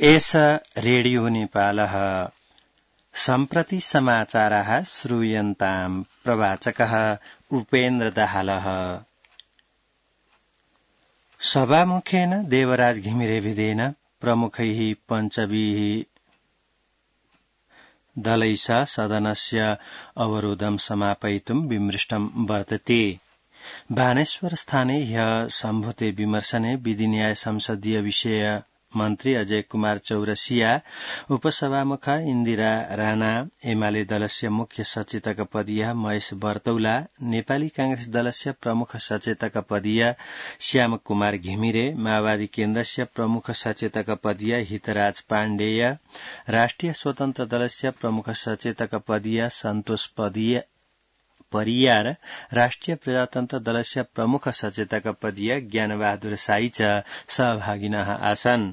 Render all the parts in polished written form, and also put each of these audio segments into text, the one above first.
एष रेडियो नेपालः सम्प्रति समाचाराः श्रूयन्ताम् प्रवाचकः उपेन्द्र दाहालः। सभामुखेन देवराज घिमिरेभिदेन प्रमुखैः पञ्चभिः दलैः सदनस्य अवरोधं समापयितुं विमृष्टं वर्तते। बानेश्वर स्थाने ह्यः सम्भूते विमर्शने विधि न्याय संसदीय विषय मन्त्री अजय कुमार चौरसिया, उपसभामुख इन्दिरा राणा, एमाले दलस्य मुख्य सचेतक पदीय महेश बर्तौला, नेपाली कांग्रेस दलस्य प्रमुख सचेतक पदीय श्याम कुमार घिमिरे, माओवादी केन्द्रस्य प्रमुख सचेतक पदीय हितराज पाण्डेय, राष्ट्रिय स्वतन्त्र दलस्य प्रमुख सचेतक पदीय सन्तोष परियार, राष्ट्रिय प्रजातन्त्र दलस्य प्रमुख सचेतक पदीय ज्ञानबहादुर साई च सहभागिनः आसन्।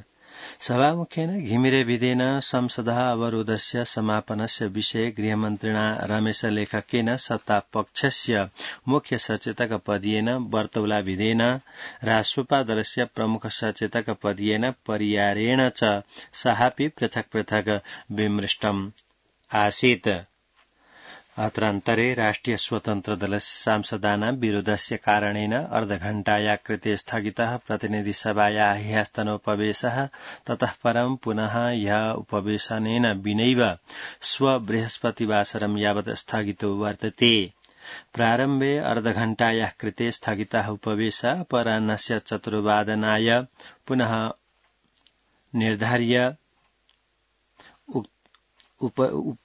सभामुखेन घिमिरेभिदेन संसदः अवरोधस्य समापनस्य विषये गृहमन्त्रिणा रमेश लेखकेन सत्तापक्षस्य मुख्य सचेतक पदीयेन बर्तौलाभिदेन, राष्ट्रपा दलस्य प्रमुख सचेतक पदीयेन परियारेण च साहापि पृथक् पृथक् विमृष्टम् आसीत्। अत्रान्तरे राष्ट्रिय स्वतन्त्र दलस्य सांसदानां विरोधस्य कारणेन अर्धघण्टाया कृते स्थगितः प्रतिनिधि सभायाः ह्यस्तनोपवेशः ततः परं पुनः ह्यः उपवेशनेन विनैव श्व बृहस्पतिवासरं यावत् स्थगितो वर्तते। प्रारम्भे अर्धघण्टायाः कृते स्थगितः उपवेशः अपराह्नस्य 4 वादनाय पुनः निर्धार्य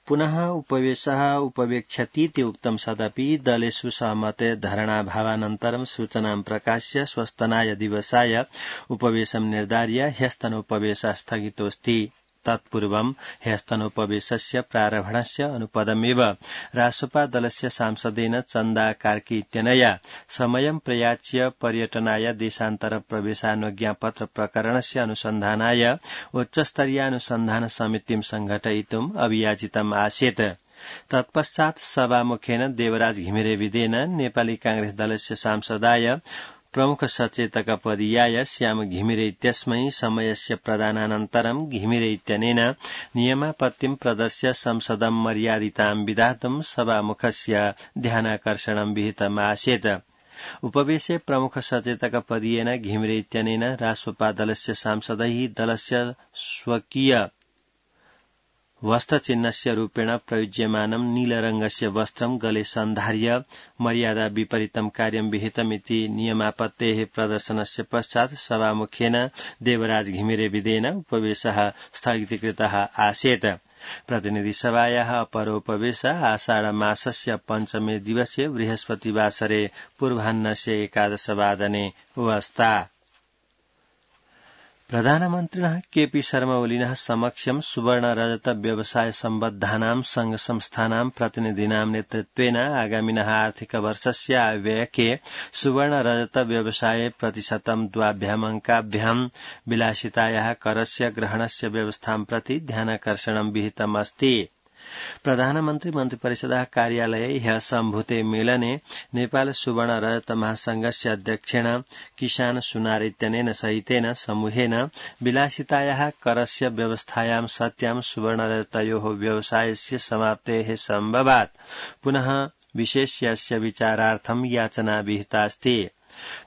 पुनः उपवेशः उपवेक्ष्यतीति उक्तं सदपि दलेषु सहमते धरणाभावानन्तरं सूचनां प्रकाश्य स्वस्तनाय दिवसाय उपवेशं निर्धार्य ह्यस्तनोपवेशः स्थगितोऽस्ति। तत्पूर्वं ह्यस्तनोपवेशस्य प्रारम्भणस्य अनुपदमेव राष्ट्रपा दलस्य सांसदेन चन्दा कार्की इत्यनया समयं प्रयाच्य पर्यटनाय देशान्तर प्रवेशानुज्ञापत्र प्रकरणस्य अनुसन्धानाय उच्चस्तरीयानुसन्धान समितिं संघटयितुम् अभियाचितम् आसीत्। तत्पश्चात् सभामुखेन देवराज घिमिरेभिदेन नेपाली कांग्रेस दलस्य सांसदाय प्रमुख सचेतक पदीयाय श्याम घिमिरे इत्यस्मै समयस्य प्रदानानन्तरं घिमिरे इत्यनेन नियमापत्तिं प्रदर्श्य संसदं मर्यादितां विधातुं सभामुखस्य ध्यानाकर्षणं विहितम् आसीत्। उपवेशे प्रमुख सचेतक पदीयेन घिमिरे इत्यनेन राष्ट्रपा दलस्य सांसदैः दलस्य स्वकीय वस्त्रचिह्नस्य रूपेण प्रयुज्यमानं नीलरङ्गस्य वस्त्रं गले सन्धार्य मर्यादा विपरीतं कार्यं विहितमिति नियमापत्तेः प्रदर्शनस्य पश्चात् सभामुखेन देवराज घिमिरेभिदेन उपवेशः स्थगितीकृतः आसीत्। प्रतिनिधि सभायाः अपरोपवेशः आषाढ मासस्य 5मे दिवसे बृहस्पतिवासरे पूर्वाह्नस्य 11 वादने उपस्था। प्रधानमन्त्रिणः केपी शर्मा ओलिनः समक्षं सुवर्ण रजत व्यवसाय सम्बद्धानां संघ संस्थानां प्रतिनिधीनां नेतृत्वेन आगामिनः आर्थिक वर्षस्य आयव्ययके सुवर्ण रजत व्यवसाये प्रतिशतं 2 अङ्काभ्यां विलासितायाः करस्य ग्रहणस्य व्यवस्थां प्रति ध्यानाकर्षणं विहितम् अस्ति। प्रधानमन्त्री मन्त्रिपरिषदः कार्यालये ह्यः सम्भूते मेलने नेपाल सुवर्ण रजत महासंघस्य अध्यक्षेण किसान सुनार इत्यनेन सहितेन समूहेन विलासितायाः करस्य व्यवस्थायां सत्यां सुवर्ण रजतयोः व्यवसायस्य समाप्तेः सम्भवात् पुनः विशेष्यस्य विचारार्थं याचना विहिता अस्ति।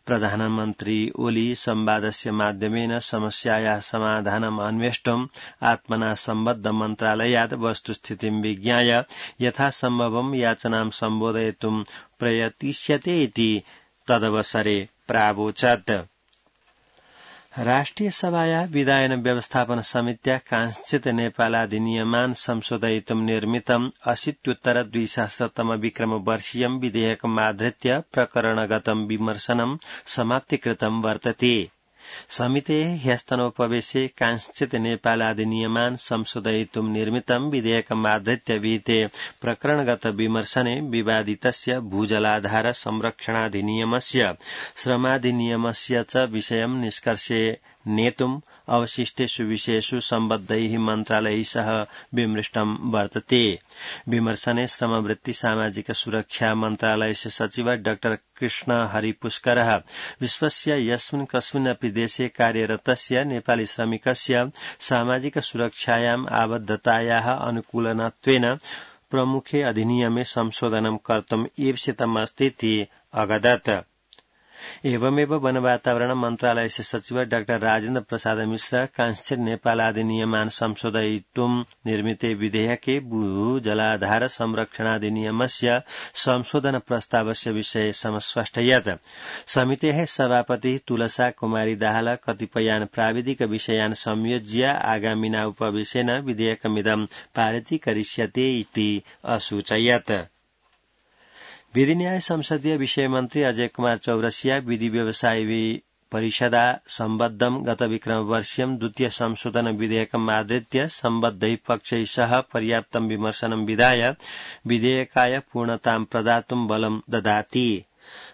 प्रधानमन्त्री ओली संवादस्य माध्यमेन समस्यायाः समाधानम् अन्वेष्टुम् आत्मना सम्बद्ध मन्त्रालयात् वस्तुस्थितिं विज्ञाय यथासम्भवं याचनां सम्बोधयितुं प्रयतिष्यते इति तदवसरे प्रावोचत्। राष्ट्रिय सभायाः विधायन व्यवस्थापन समित्या कांश्चित् नेपालाधिनियमान् संशोधयितुं निर्मितम् 80-2000 विक्रमवर्षीयं विधेयकमाधृत्य प्रकरणगतं विमर्शनं समाप्तीकृतं वर्तते। समितेः ह्यस्तनोपवेशे कांश्चित् नेपालाधिनियमान् संशोधयितुं निर्मितं विधेयकमाधृत्य विहिते प्रकरणगत विमर्शने विवादितस्य भूजलाधार संरक्षणाधिनियमस्य श्रमाधिनियमस्य च विषयं निष्कर्षे नेतुम् अवशिष्टेषु विषयेषु सम्बद्धैः मन्त्रालयैः सह विमृष्टं वर्तते। विमर्शने श्रमवृत्ति सामाजिक सुरक्षा मन्त्रालयस्य सचिव डाक्टर कृष्ण हरिपुष्करः विश्वस्य यस्मिन् कस्मिन्नपि देशे कार्यरतस्य नेपाली श्रमिकस्य सामाजिक सुरक्षायाम् आबद्धतायाः अनुकूलनत्वेन प्रमुखे अधिनियमे संशोधनं कर्तुम् ईप्सितमस्तीति अगदत्। एवमेव वन वातावरण मन्त्रालयस्य सचिव डाक्टर राजेन्द्र प्रसाद मिश्र कांश्चित् नेपालाधिनियमान् संशोधयितुम् निर्मिते विधेयके भू जलाधार संरक्षणाधिनियमस्य संशोधन प्रस्तावस्य विषये समस्पष्टयत्। समितेः सभापति तुलसा कुमारी दाहाल कतिपयान् प्राविधिक विषयान् संयोज्य आगामिना उपवेशेन विधेयकमिदं पारितीकरिष्यते इति असूचयत्। विधि न्याय संसदीय विषय मन्त्री अजय कुमार चौरसिया विधि व्यवसायी परिषदा सम्बद्धं गत विक्रमवर्षीयं द्वितीय संशोधन विधेयकम् आधृत्य सम्बद्धैः पक्षैः सह पर्याप्तं विमर्शनं विधाय विधेयकाय पूर्णतां प्रदातुं बलं ददाति।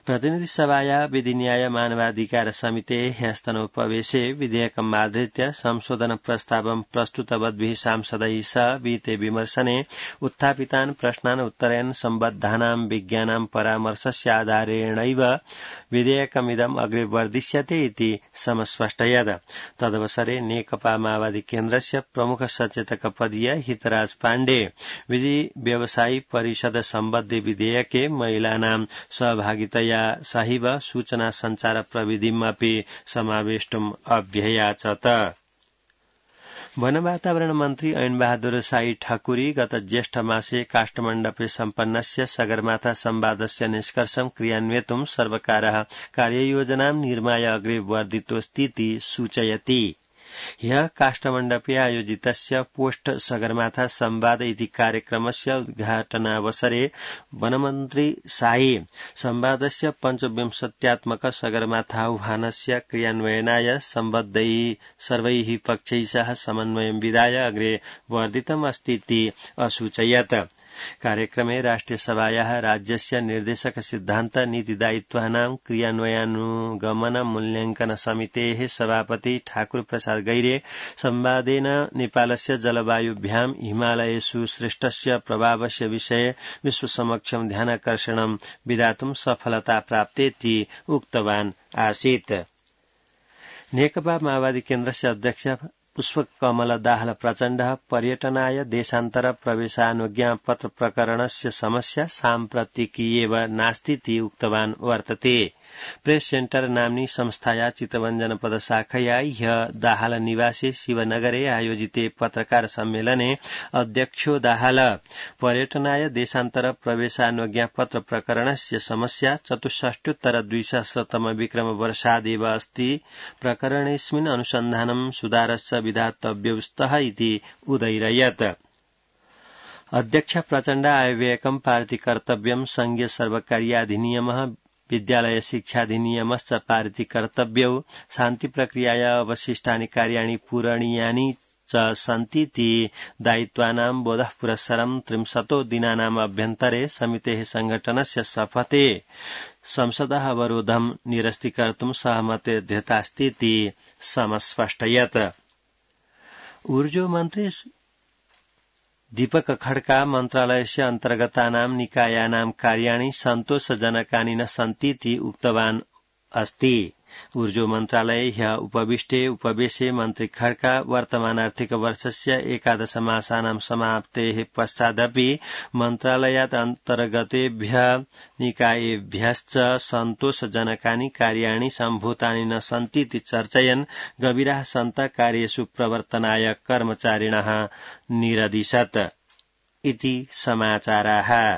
प्रतिनिधि सभाया विधि न्याय मानवाधिकार समितेः ह्यस्तनोपवेशे विधेयकम् आधृत्य संशोधन प्रस्तावं प्रस्तुतवद्भिः सांसदैः सह विहिते विमर्शने उत्थापितान् प्रश्नान् उत्तरयन् सम्बद्धानां विज्ञानां परामर्शस्य आधारेणैव विधेयकमिदम् अग्रे वर्धिष्यते इति समस्पष्टयत्। तदवसरे नेकपा माओवादी केन्द्रस्य प्रमुख सचेतक पदीय हितराज पाण्डे विधि व्यवसायी परिषद सम्बद्धे विधेयके महिलानां सहभागितया सहिव सूचना संचार प्रविधिम् अपि समावेष्टुम् अभ्ययाचत। वन वातावरण मन्त्री ऐन बहादुर साई ठकुरी गत ज्येष्ठ मासे काष्ठमण्डपे सम्पन्नस्य सगरमाथा संवादस्य निष्कर्षं क्रियान्वेतुं सर्वकारः कार्ययोजनां निर्माय अग्रे वर्धितोऽस्तीति सूचयति। ह्यः काष्ठमण्डपे आयोजितस्य पोस्ट सगरमाथा संवाद इति कार्यक्रमस्य उद्घाटनावसरे वनमन्त्री साई संवादस्य 25 सगरमाथाह्वानस्य क्रियान्वयनाय सम्बद्धैः सर्वैः पक्षैः सह समन्वयं विधाय अग्रे वर्धितमस्तीति असूचयत्। कार्यक्रमे राष्ट्रिय सभायाः राज्यस्य निर्देशक सिद्धान्त नीतिदायित्वानां क्रियान्वयानुगमन मूल्याङ्कन समितेः सभापति ठाकुर प्रसाद गैरे संवादेन नेपालस्य जलवायुभ्यां हिमालयेषु सृष्टस्य प्रभावस्य विषये विश्वसमक्षं ध्यानाकर्षणं विधातुं सफलता प्राप्तेति उक्तवान् आसीत्। नेकपा माओवादी केन्द्रस्य अध्यक्ष पुष्पकमल दाहाल प्रचण्डः पर्यटनाय देशान्तर प्रवेशानुज्ञापत्र प्रकरणस्य समस्या साम्प्रतिकीयेव नास्तीति उक्तवान् वर्तते। प्रेस सेन्टर नाम्नी संस्थाया चितवनजनपदशाखया ह्यः दाहाल निवासे शिवनगरे आयोजिते पत्रकार सम्मेलने अध्यक्षो दाहाल पर्यटनाय देशान्तर प्रवेशानुज्ञापत्र प्रकरणस्य समस्या 64-2000 विक्रमवर्षादेव अस्ति। प्रकरणेऽस्मिन् अनुसन्धानं सुधारश्च विधातव्यस्तः इति उदैरयत्। अध्यक्ष प्रचण्ड आयव्ययकं पारितीकर्तव्यं संघीय सर्वकारीयाधिनियमः विद्यालय शिक्षाधिनियमश्च पारितीकर्तव्यौ शान्तिप्रक्रियाया अवशिष्टानि कार्याणि पूरणीयानि च सन्तीति दायित्वानां बोधः पुरस्सरं 30 दिनानाम् अभ्यन्तरे समितेः संघटनस्य शपथे संसदः अवरोधं निरस्तीकर्तुं सहमतिर्दत्तास्तीति समस्पष्टयत्। ऊर्जो मन्त्री दीपक खड्का मन्त्रालयस्य अन्तर्गतानां निकायानां कार्याणि सन्तोषजनकानि न सन्तीति उक्तवान् अस्ति। ऊर्जो मन्त्रालये ह्यः उपविष्टे उपवेशे मन्त्री खड्का वर्तमान आर्थिक वर्षस्य 11 मासानां समाप्तेः पश्चादपि मन्त्रालयात् अन्तर्गतेभ्यः निकायेभ्यश्च सन्तोषजनकानि कार्याणि सम्भूतानि न सन्तीति चर्चयन् गभीराः सन्ता कार्येषु प्रवर्तनाय कर्मचारिणः निरदिशत् इति समाचाराः।